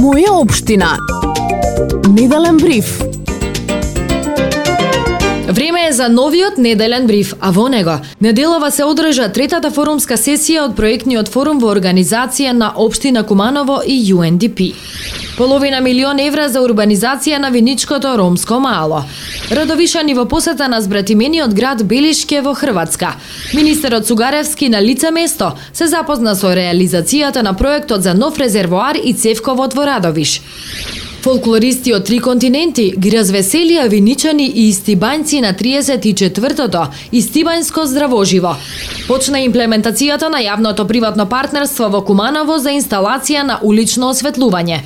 Моја општина. Неделен бриф. Време е за новиот неделен бриф, а во него неделова се одржа третата форумска сесија од проектниот форум во организација на општина Куманово и UNDP. Половина милион евра за урбанизација на Виничкото ромско мало. Радовишани во посета на збратимениот град Белишке во Хрватска. Министерот Цугаревски на лице место се запозна со реализацијата на проектот за нов резервоар и цевковод во Радовиш. Фолклористи од 3 континенти ги развеселија виничани и истибањци на 34-тото Истибањско здравоживо. Почна имплементацијата на јавното приватно партнерство во Куманово за инсталација на улично осветлување.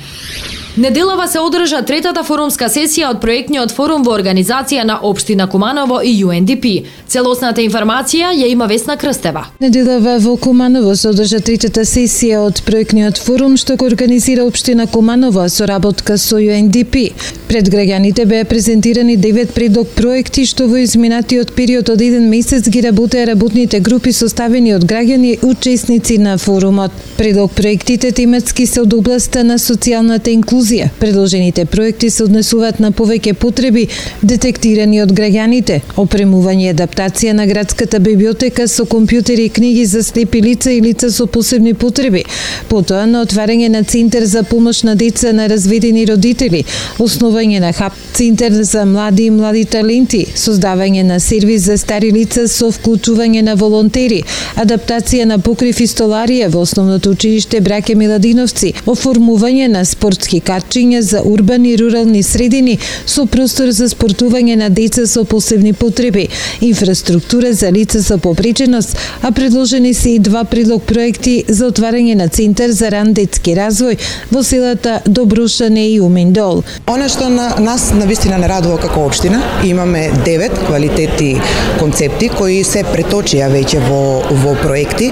Неделова се одржа третата форумска сесија од проектниот форум во организација на општина Куманово и UNDP. Целосната информација ја има Весна Крстева. Неделова во Куманово се одржа третата сесија од проектниот форум што го организира општина Куманово со работка со UNDP. Пред граѓаните беа презентирани 9 предлог проекти што во изминатиот период од 1 месец ги работеа работните групи составени од граѓани учесници на форумот. Предлог проектите тематски се од областа на социјалната инклузија. Предложените проекти се однесуваат на повеќе потреби детектирани од граѓаните, опремување и адаптација на градската библиотека со компјутери и книги за слепи лица и лица со посебни потреби, потоа на отварање на центар за помош на деца на разведени родители, основање на хаб центар за млади и млади таленти, создавање на сервис за стари лица со вклучување на волонтери, адаптација на покрив и столарија во основното училиште Браке Миладиновци, оформување на спортски качиња за урбани и рурални средини со простор за спортување на деца со посебни потреби, инфраструктура за лица со попреченост, а предложени се и 2 предлог проекти за отварање на центар за ран детски развој во селата Добрушане и Уминдол. Она што нас навистина не радува како општина, имаме 9 квалитетни концепти кои се преточија веќе во проекти.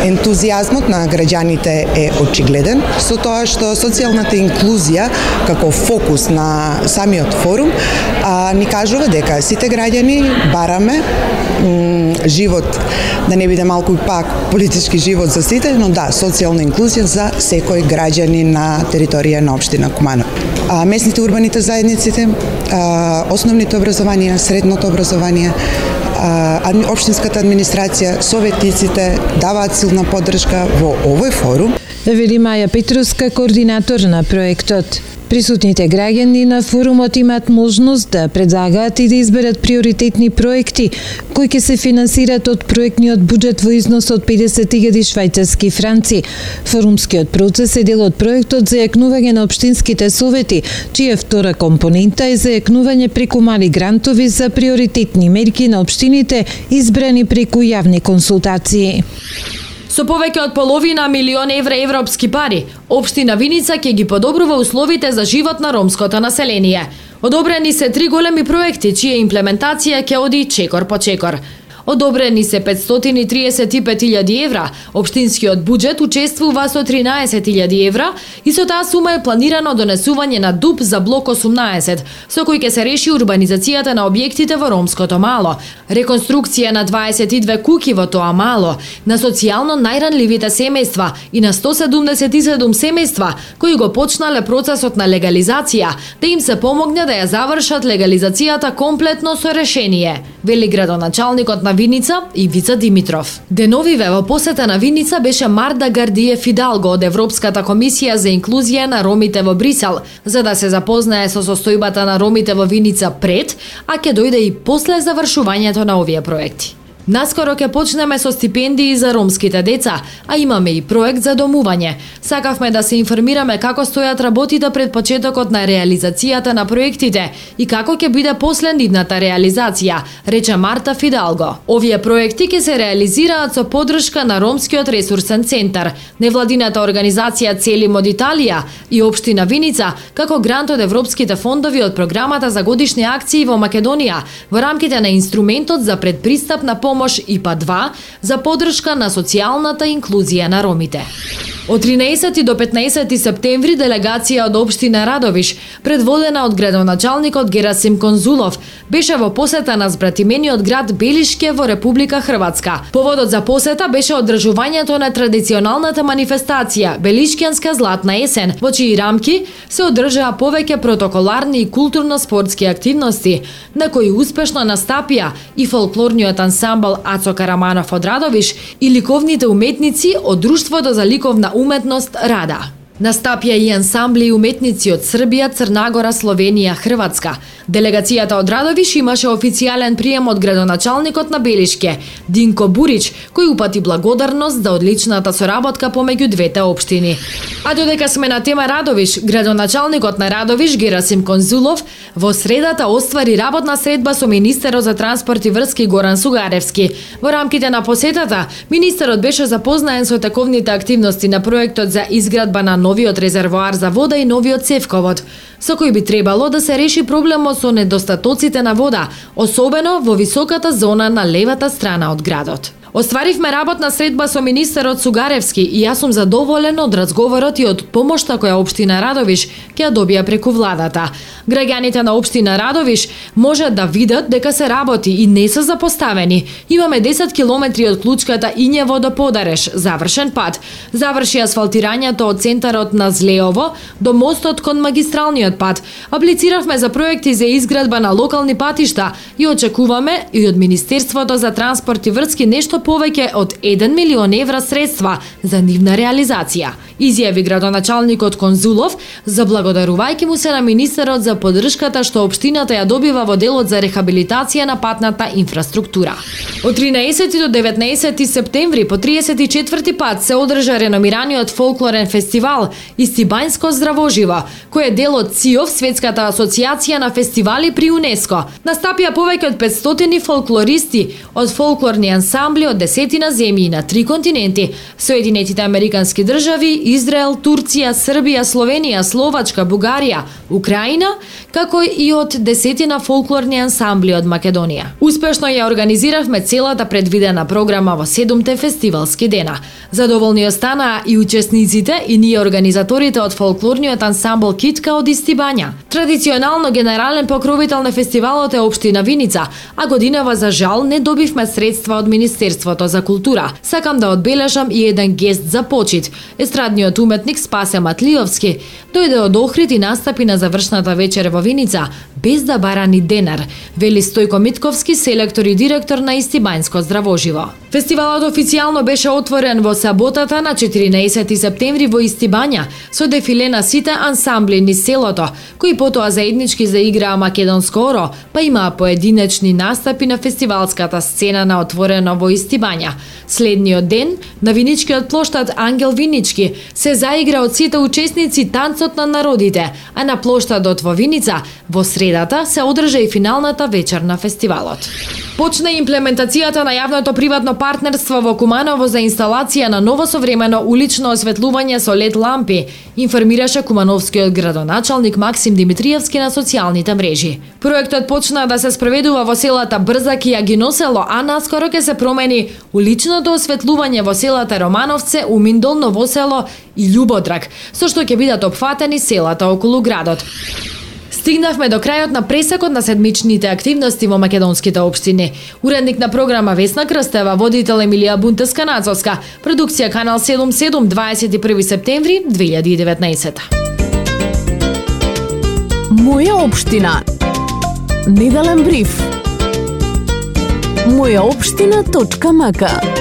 Ентузијазмот на граѓаните е очигледен со тоа што социјалната инклузија како фокус на самиот форум ни кажува дека сите граѓани бараме живот, да не биде малку пак политички живот за сите, но да, социјална инклузија за секој граѓани на територија на општина Куманово. Местните урбаните заедниците, основните образованија, средното образование, општинската администрација, советниците даваат силна поддршка во овој форум. Вели Маја Петруска, координатор на проектот. Присутните граѓани на форумот имаат можност да предлагаат и да изберат приоритетни проекти кои ќе се финансираат од проектниот буџет во износ од 50.000 швајцарски франци. Форумскиот процес е дел од проектот за јакнување на општинските совети, чија втора компонента е за јакнување преку мали грантови за приоритетни мерки на општините избрани преку јавни консултации. Со повеќе од половина милион евра европски пари, општина Виница ќе ги подобрува условите за живот на ромското население. Одобрени се 3 големи проекти, чија имплементација ќе оди чекор по чекор. Одобрени се 535.000 евра, општинскиот буџет учествува со 13.000 евра и со таа сума е планирано донесување на ДУП за блок 18, со кој ќе се реши урбанизацијата на објектите во ромското мало, реконструкција на 22 куќи во тоа мало, на социјално најранливите семејства и на 177 семејства кои го почнале процесот на легализација, да им се помогне да ја завршат легализацијата комплетно со решение, вели градоначалникот на Виница Ивица Димитров. Деновиве во посета на Виница беше Марта Гардиев Фидалго од Европската комисија за инклузија на ромите во Брисел, за да се запознае со состојбата на ромите во Виница пред, а ќе дојде и после завршувањето на овие проекти. Наскоро ќе почнеме со стипендии за ромските деца, а имаме и проект за домување. Сакавме да се информираме како стојат работите пред почетокот на реализацијата на проектите и како ќе биде после нивната реализација, рече Марта Фидалго. Овие проекти ќе се реализираат со поддршка на Ромскиот ресурсен центар, невладината организација Целим од Италија и општина Виница, како грант од европските фондови од програмата за годишни акции во Македонија во рамките на инструментот за предпристапна помош ИПА 2 за поддршка на социјалната инклузија на ромите. Од 13 до 15 септември делегација од општина Радовиш, предводена од градоначалникот Герасим Конзулов, беше во посета на збратимениот град Белишке во Република Хрватска. Поводот за посета беше одржувањето на традиционалната манифестација Белишкијанска златна есен, во чии рамки се одржаа повеќе протоколарни и културно-спортски активности, на кои успешно настапија и фолклорниот ансамбл Ацо Караманов од Радовиш и ликовните уметници од Друштвото за ликовна уметност Рада. Настапија и ансамбли и уметници од Србија, Црнагора, Словенија, Хрватска. Делегацијата од Радовиш имаше официјален прием од градоначалникот на Белишке, Динко Бурич, кој упати благодарност за одличната соработка помеѓу двете општини. А додека сме на тема Радовиш, градоначалникот на Радовиш Герасим Конзулов во средата оствари работна средба со министерот за транспорт и врски Горан Сугаревски. Во рамките на посетата, министерот беше запознаен со тековните активности на проектот за изградба на новиот резервоар за вода и новиот цевковод, со кој би требало да се реши проблемот со недостатоците на вода, особено во високата зона на левата страна од градот. Остваривме работна средба со министерот Сугаревски и јас сум задоволен од разговорот и од помошта која општина Радовиш ќе ја добија преку владата. Граѓаните на општина Радовиш можат да видат дека се работи и не се запоставени. Имаме 10 километри од клучката Ињево до Подареш, завршен пат. Заврши асфалтирањето од центарот на Злеово до мостот кон магистралниот пат. Аплициравме за проекти за изградба на локални патишта и очекуваме и од Министерството за транспорт и врски нешто повеќе од 1 милион евра средства за нивна реализација, изјави градоначалникот Конзулов, заблагодарувајќи му се на министерот за поддршката што општината ја добива во делот за рехабилитација на патната инфраструктура. Од 13 до 19 септември по 34 пат се одржа реномираниот фолклорен фестивал Истибањско здравоживо, кој е дел од ЦИОВ, Светската асоциација на фестивали при УНЕСКО. Настапија повеќе од 500 фолклористи од фолклорни ансамбли од 10 земји на 3 континенти: Соединетите Американски држави, Израел, Турција, Србија, Словенија, Словачка, Бугарија, Украина, како и од 10 фолклорни ансамбли од Македонија. Успешно ја организиравме целата предвидена програма во 7 фестивалски дена. Задоволни останаа и учесниците и ние организаторите од фолклорниот ансамбл Китка од Истибања. Традиционално генерален покровител на фестивалот е општина Виница, а годинава за жал не добивме средства од Министерството за култура. Сакам да одбележам и еден гест за почит. Естрадниот уметник Спасе Матлиовски дојде од Охрид и настапи на завршната вечер во Виница без да бара ни денар, вели Стојко Митковски, селектор и директор на Истибањско здравоживо. Фестивалот официјално беше отворен во саботата на 14 септември во Истибања со дефиле на сите ансамбли низ селото, кои потоа заеднички заиграа македонско оро, па имаа поединечни настапи на фестивалската сцена на отворено во Истибања. Следниот ден, на Виничкиот плоштад Ангел Винички, се заигра од сите учесници танцот на народите, а на плоштадот во Виница во средата се одржа и финалната вечер на фестивалот. Почна имплементацијата на јавното-приватно партнерство во Куманово за инсталација на ново современо улично осветлување со LED лампи, информираше кумановскиот градоначалник Максим Димитриевски на социјалните мрежи. Проектот почна да се спроведува во селата Брзак и Агиносело, а наскоро ќе се промени уличното осветлување во селата Романовце, Уминдол, Новосело и Љубодрак, со што ќе бидат опфатени селата околу градот. Стигнавме до крајот на пресекот на седмичните активности во македонските општини. Уредник на програма Весна Крстева, водител Емилија Бунтеска-Нацовска, продукција Канал 77, 21 септември 2019. Моја општина. Неделен бриф. Мојаопштина.мк